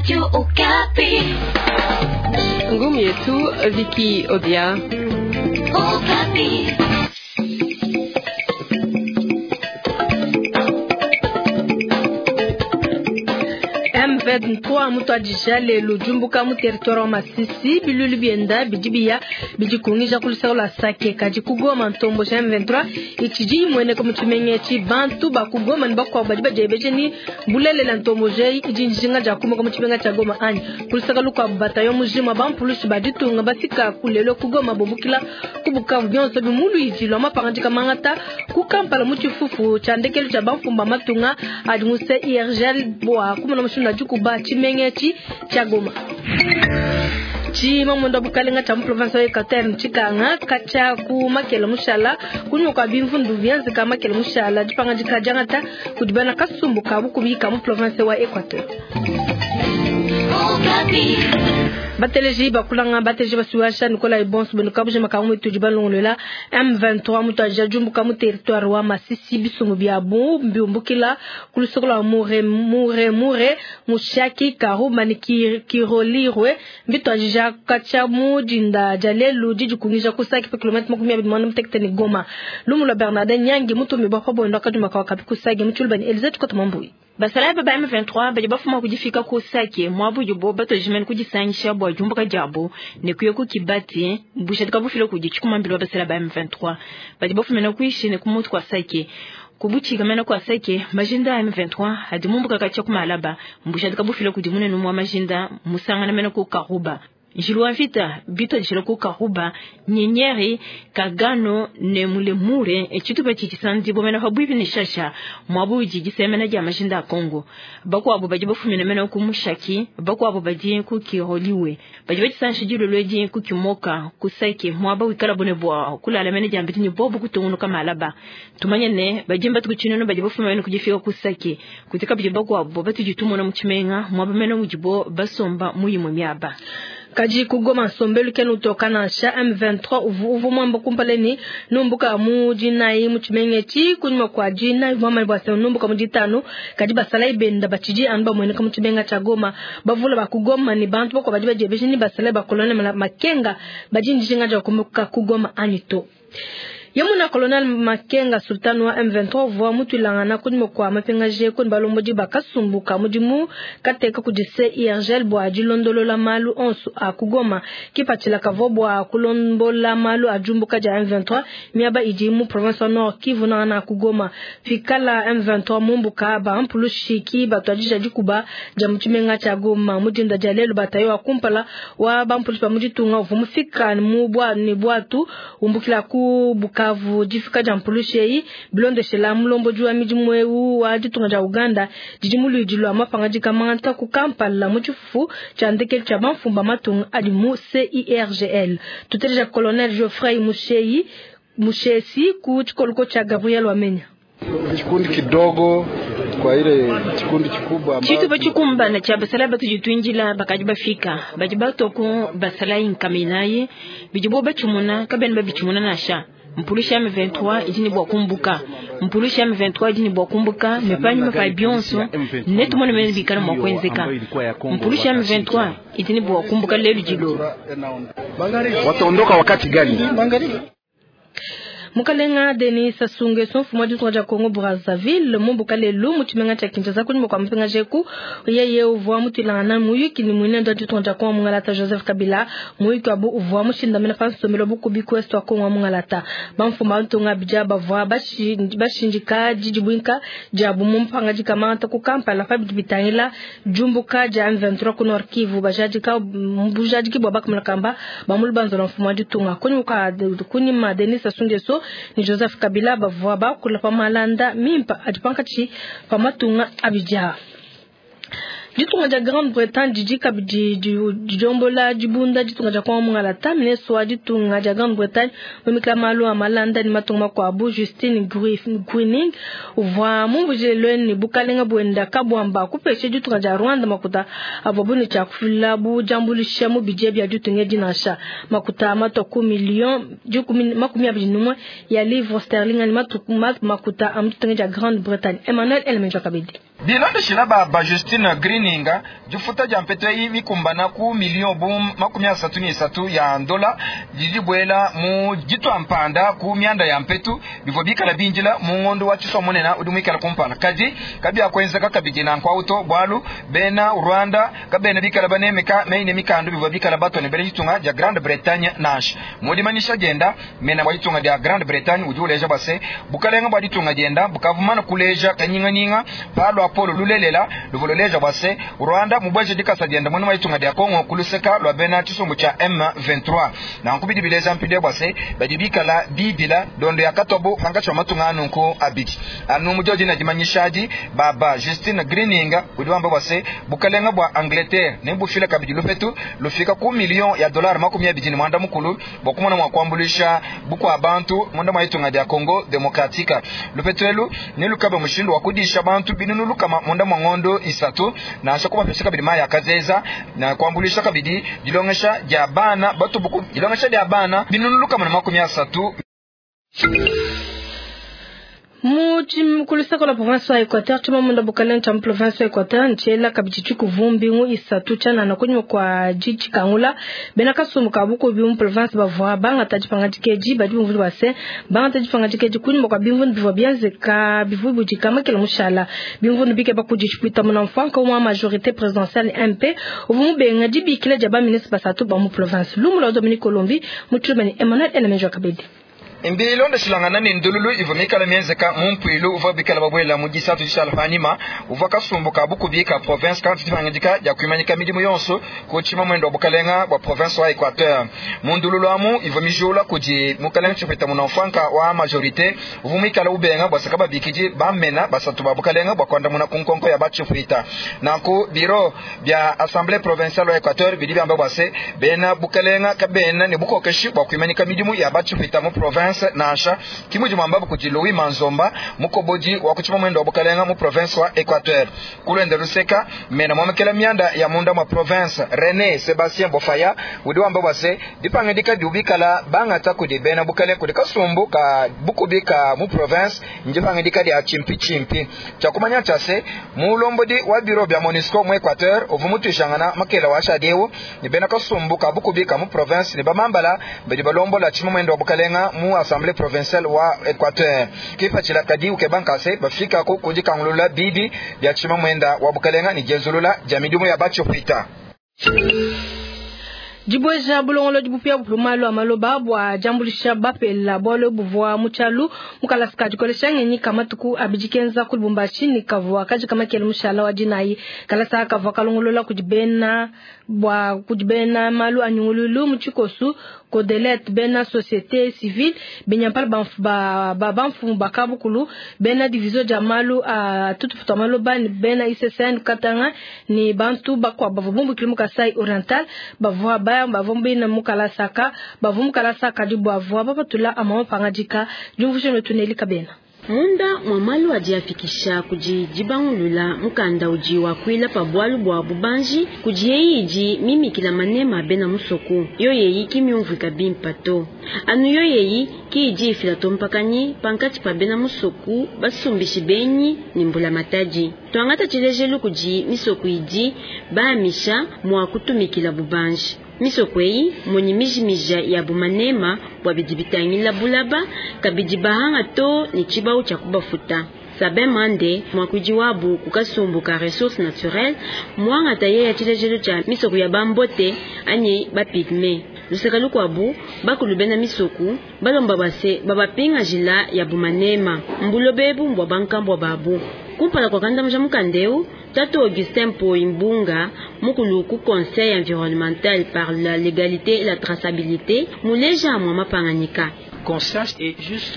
Radio Okapi. Ngumi yetu Viki Odia. Okapi. M23 mutuadija lelu diumbuka mu territoire wa Masisi bilulu bienda bidi biya bidikungija ku luseke lua Sake kadi ku Goma ntombo ja M23 itshidi imueneka mu tshimenga etshi bantu ba ku Goma ne bakuabu badi badiebeja ni bulelela ntombo eyi idi njinga dia kumuka mu tshimenga tshia Goma anyi ku luseke lukuabu batayo mujima bampulushi ba ditunga bafika ku lelo ku Goma bumbukila ku Bukavu bionso bi mu luidi lua mapangadika mangata ku Kampala mu tshifufu tshia ndekelu tshia bamfumu ba matunga adi mu CIRGL bua kumona mushindu wa dikuba tshimenga etshi tshia Goma. Tshimamunda bukalenga tshia mu province wa Equateur ntshikanga katshia ku makela mushala kunyima kua bimvundu bienzeka makela mushala dipangadika diangata kudi bena kasumbu ka bukubi ka mu province wa Equateur. Okapi. Bateleji bakulanga bateleji basuasha Nicolas Ebonso beno kabuje makambo mwetu balongolola M23 mutu diumbuka mu territoire wa Masisi bisumbu bia bu mbiumbukila ku lusoko lwa Mure Mure Mure Mushaki Karuba ni Kirolirwe mbituadija katshia mu dinda dia lelu didikungija ku Sake pa kilomètre 25 ni Goma. Lumu lwa Bernardin Nyangi mutumi bwa pa bondo akaduma kwa kapi ku Sake mutshulu bani Elizabeth Kotoma Mbuyi. Basalayi ba M23 badi bafuma kudifika ku Sake mwabu yubo batojimene kudisangisha bua diumbuka diabu ne kuya ku Kibati bushadika bufile kudi tshikumambila basalayi ba M23 badi bafumena kuishi ne kumutu kwa Sake kubuchika mena kwa Sake majinda ya M23 adi mumbuka katshia ku Malaba mbushadika bufile kudi munene mwa majinda musangana mena ku Karuba Njilu wa vita bito dishila ku Karuba Nyenyeri Kagano ne Mulemure echitupa chichisanzi bomena pabwipi ne Shasha mwabu jigisemena dia majinda a Kongo bakwabo badi bafumina mena ku Mushaki bakwabo badi ku Kiroliwe badi bachisanshi dilolwe ku Kimoka ku Sake mwaba wikala bone bwa kulala mena dia mbiti ni bobu kutungunuka Malaba tumanye ne bajimba tukuchinono badi bafumina mena kujifika ku Sake kutika bidi bakwabo batujitumona mu chimenga mwaba mena mujibo basomba muyimwe miaba Kaji ku Goma nsombelu kena utoka nansha M23 uvu mwamba kumpala ni numbuka mu dinayi mu tshimenga etshi kunyima kua dinayi mwamanya bua se numbuka mu ditanu kadi basalayi benda batshidi anu bamueneka mu tshimenga tshia Goma bavula ba ku Goma ni bantu bakuabu badi badiebeja ni basalayi ba colonel Makenga badi ndijinga dia kumuka ku Goma anyi to. Yamuna Colonel Makenga Sultan wa M23 uvua mutuilangana kunyima kua mapingaje kuni balombodi bakasumbuka mudimu kateka kudi CIRGL bua dilondolola malu onso a ku Goma kipatshila kavua bua kulombola malu a diumbuka dia M23 miaba idi mu province wa Nord Kivu nangana ku Goma pikala M23 mumbuka bampulushi ki batuadija dikuba dia mu tshimenga tshia Goma mu dinda dia lelu batayo wa kumpala wa bampulushi ba mu ditunga uvua mufika mu bua ne bwatu umbukila ku Bukavu difika dia mpulushi eyi bilondeshela mulombodi wa midimu eu wa ditunga dia Uganda didi mu luidi lua mapangadika mangata ku Kampala mu tshifufu tshia ndekelu tshia bamfumu ba matunga adi mu CIRGL. Tuteleja Colonel Geoffrey Musheyi Mushesi ku tshikoloko tshia Gabriel Wamenya. Kikundi kidogo kwa ile kikundi kikubwa ambacho Chitupa chikumbana cha basalayi batujitwinjila bakadi bafika badi batoku basalayi nkaminayi bidibo bachimuna kabeni babichimuna nasha Mpulusha M23 idi ne bua kumbuka Mpulusha M23 idi ne bua kumbuka ne panyima pa bionso ne tumone mene bikala mua kuenzeka Mpulusha M23 idi ne bua kumbuka lelu dilo wataondoka wakati gani? Mukalenga Denis Sassou Nguesso mfumu wa ditunga dia Congo Brazzaville mumbuka lelu mu tshimenga tshia Kinshasa kunyima kua mupingaje ku yeye uvua mutuilangana muyuki ni muinende wa ditunga dia Congo Mungalata Joseph Kabila muyuki wabu uvua mushindamena pa nsombelu wa bukubi ku est wa Congo Mungalata bamfumu ba ntunga bidia bavua bashindika didibuinka diabu mu mpangadika mangata ku Kampala pa bidi bitangila diumbuka dia M23 ku Nord Kivu bajadika bujadiki bua bakamona kamba ba mu lubanza lua mfumu wa ditunga kunyima Denis Sassou Nguesso ni Joseph Kabila bavua bakula pa malanda mimpa adi pankatshi pa matunga abidi. Ditunga dia Grande-Bretagne didi kabidi didiombola dibunda ditunga dia Congo Mungalata ministre wa ditunga dia Grande-Bretagne wimikila malu a malanda ni matunga makuabu Justine Greening uvua mumvujile ni bukalenga buenda kabwamba kupesha ditunga dia Rwanda makuta avua bune tshia kufila bu diambuluisha mu bidia bia ditunga dinasha makuta matwa ku million 21 ya livre sterling ni makuta a mu ditunga dia Grande-Bretagne. Emmanuel Elmenjo Kabidi. Bilondeshila baba Justine Greening, difuta dia mpetu eyi mikumbana ku million bu 33 ya ndola didi dibuela mu ditua mpanda ku mianda ya mpetu bivua bikala bindila mu ngondo wa tshisua munene udi muikala kumpala. Kadi kabiakuenzeka kabidi nanku awu bualu bena Rwanda kabena bikala banemeka meyi ne mikandu bivua bikala batua ne bena ditunga dia Grande-Bretagne nansha. Mu dimanyisha dienda mena bua ditunga dia Grande-Bretagne udi uleja bua se bukalenga bua ditunga dienda bukavumana kuleja kanyinganyinga pa luapolo lulelela luvua luleja bua se Rwanda mubueje dikasa dienda muena ditunga dia Congo ku luseka lua bena tshisumbu tshia M23. Nanku bidi bileja mpindieu bua se badi bikala bibila dondo ya katobo pankatshi wa matunga anunku abidi. Anu mu diodi na dimanyisha baba Justine Greening udi wamba bua se bukalenga bua Angleterre ne bufila kabidi lupetu lufika ku million ya dollar 29 bua kumona mua kuambuluisha bukua bantu munda mua ditunga dia Congo Democratique. Lupetu elu ne lukabe mushindu wa kudisha bantu binunu lukama munda mua ngondo isatu nansha kubapesha kabidi mayi akazeza na kuambuluisha kabidi dilongesha dia bana batubuku dilongesha dia bana binunu lukama na 30. Mukulusaka la province ya Equateur chuma munda bukaleng cha province ya Equateur nchela kabidi chikuvumbi ngu isatu chana na kunyuma kwa jiji kangula bena kasumbu ka buko bi mu province bavua bangata dipanga dikeji badi bumvuli base bangata dipanga dikeji kunyuma kwa bimvundu bivua bienzeka bivua budikama kila mushala bimvundu bike bakudishipita muna mfanka wa majorité présidentielle MP uvu mubenga dibikila dia ba ministre basatu ba mu province lumula Dominique Colombi muchumani Emmanuel Elemenjo Kabedi. Mbilondeshilangana ne ndululu ivua mikala mienzeka mu mpuilu uvua bikala babuela mu disatu dishala panyima uvua kasumbu ka bukubi ka province kantu dipangidika dia kuimanyika midimu yonso ku tshima mwendo wa bukalenga bua province wa Equateur. Mu ndululu amu ivua mijula kudi mukalenga tshipeta munamfanka wa majorité uvua mikala ubenga bua saka babikidi bamena basatu ba bukalenga bua kuandamuna ku nkonko ya batshipwita. Nanku biro bia assemblée provinciale wa Equateur bidi biamba bua se bena bukalenga kabena ne bukokeshi bua kuimanyika midimu ya batshipwita mu province nansha kimudi mwambabu kudi Louis Manzomba mukobodi wa kuchima mwendo wa bukalenga mu province wa Equateur. Kulwenda luseka mena mwamekela mianda ya munda mwa province René Sebastien Bofaya udi wamba bwase dipangidika diubikala bangata kudi bena bukalenga kudi kasumbu ka bukubika mu province ndipangidika dia chimpi chimpi. Chakumanya chase mulombodi wa bureau bya MONUSCO mu Equateur uvu mutwishangana makela wa shadeu ni bena kasumbu ka bukubika mu province ni bamambala badi balombola chima mwendo wa bukalenga mu assemblée provinciale wa Equateur. Kipachila kadi ukebankase bafika ku kudikangulula bibi bya chima mwenda wa bukalenga ni jenzulula jamidumu ya bachopita. Dibweja bulongolo dibupia bupumalo amaloba bwa jambulisha bapela bwalo buvwa muchalu mukalasika dikolesha ngenyi kamatuku abijikenza ku Lubumbashi ni kavwa kaji kamakele mushala wa dinayi kalasa kavwa kalongolola kudibena bwa kudibena malu anyungululu muchikosu kodelet bena société civile benyampala ba ba bamfumu bakabukulu bena division dia malu a tutufuta maloba ni bena ICCN katanga ni bantu bakwa bavwa bumbukili mu Kasai Oriental bavwa baya bavwa bena mukalasaka bavwa mukalasaka dibwavwa bapatula amama pangadika jumvushe tuneli kabena. Munda mwa malu ajiafikisha kudi dibangulula mukanda udi wakuila pa bwalu bwa bubanji kudi yeyi idi mimikila manema bena musoko yo yeyi kimyumvika bimpa to anu yo yeyi ki idi ifila tompakanyi pankatshi pa bena musoko basumbishi benyi ni mbula matadi twangata tshilejelu kudi misoko idi baamisha mwa kutumikila bubanji misoko eyi moni mijimija ya bumanema bwa bidi bitangila bulaba kabidi bahanga to ni tshibau tshia kubafuta. Sabin Mande mwakuidi wabu kukasumbu ka ressources naturelles mwangata ye ya tshilejelu tshia misoko ya bambote anyi bapigme luseka lukwabu bakulu bena misoko balomba base babapinga jila ya bumanema mbulobebu mbwa bankambwa babu kumpala kwa kandamja mukandeu Tato Augustin Poimbunga, mukulu ku Conseil environnemental par la légalité et la traçabilité, muleja mwa mapanganyika.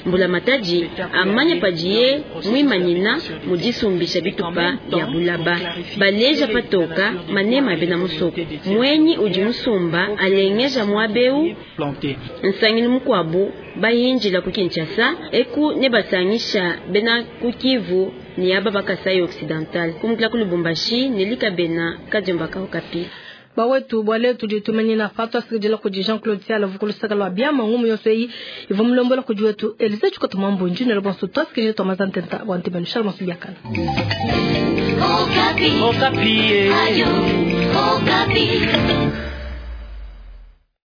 Mbula mataji amanya padiye mwimanyina mudisumbisha bitupa ya bulaba baleja patoka manema bena musoko mwenyi udi musumba alengeja mwabeu nsangini mukwabu bahinjila ku Kinshasa eku ne basangisha bena ku Kivu ni aba bakasai occidental kumukila ku Lubumbashi nelika bena kadiomba ka Okapi. Bawetu bua lelu tudi tumanyina pa tuasakidila kudi Jean Claude Siala vukulusaka lua biama ngumu yonso eyi ivua mulombola kudi wetu Elise Tshikota Mwambunji ne bonso tuasakidila tuamaza ntenta bua ntibanu shala masu biakana. Okapi. Okapi. Ayo, Okapi.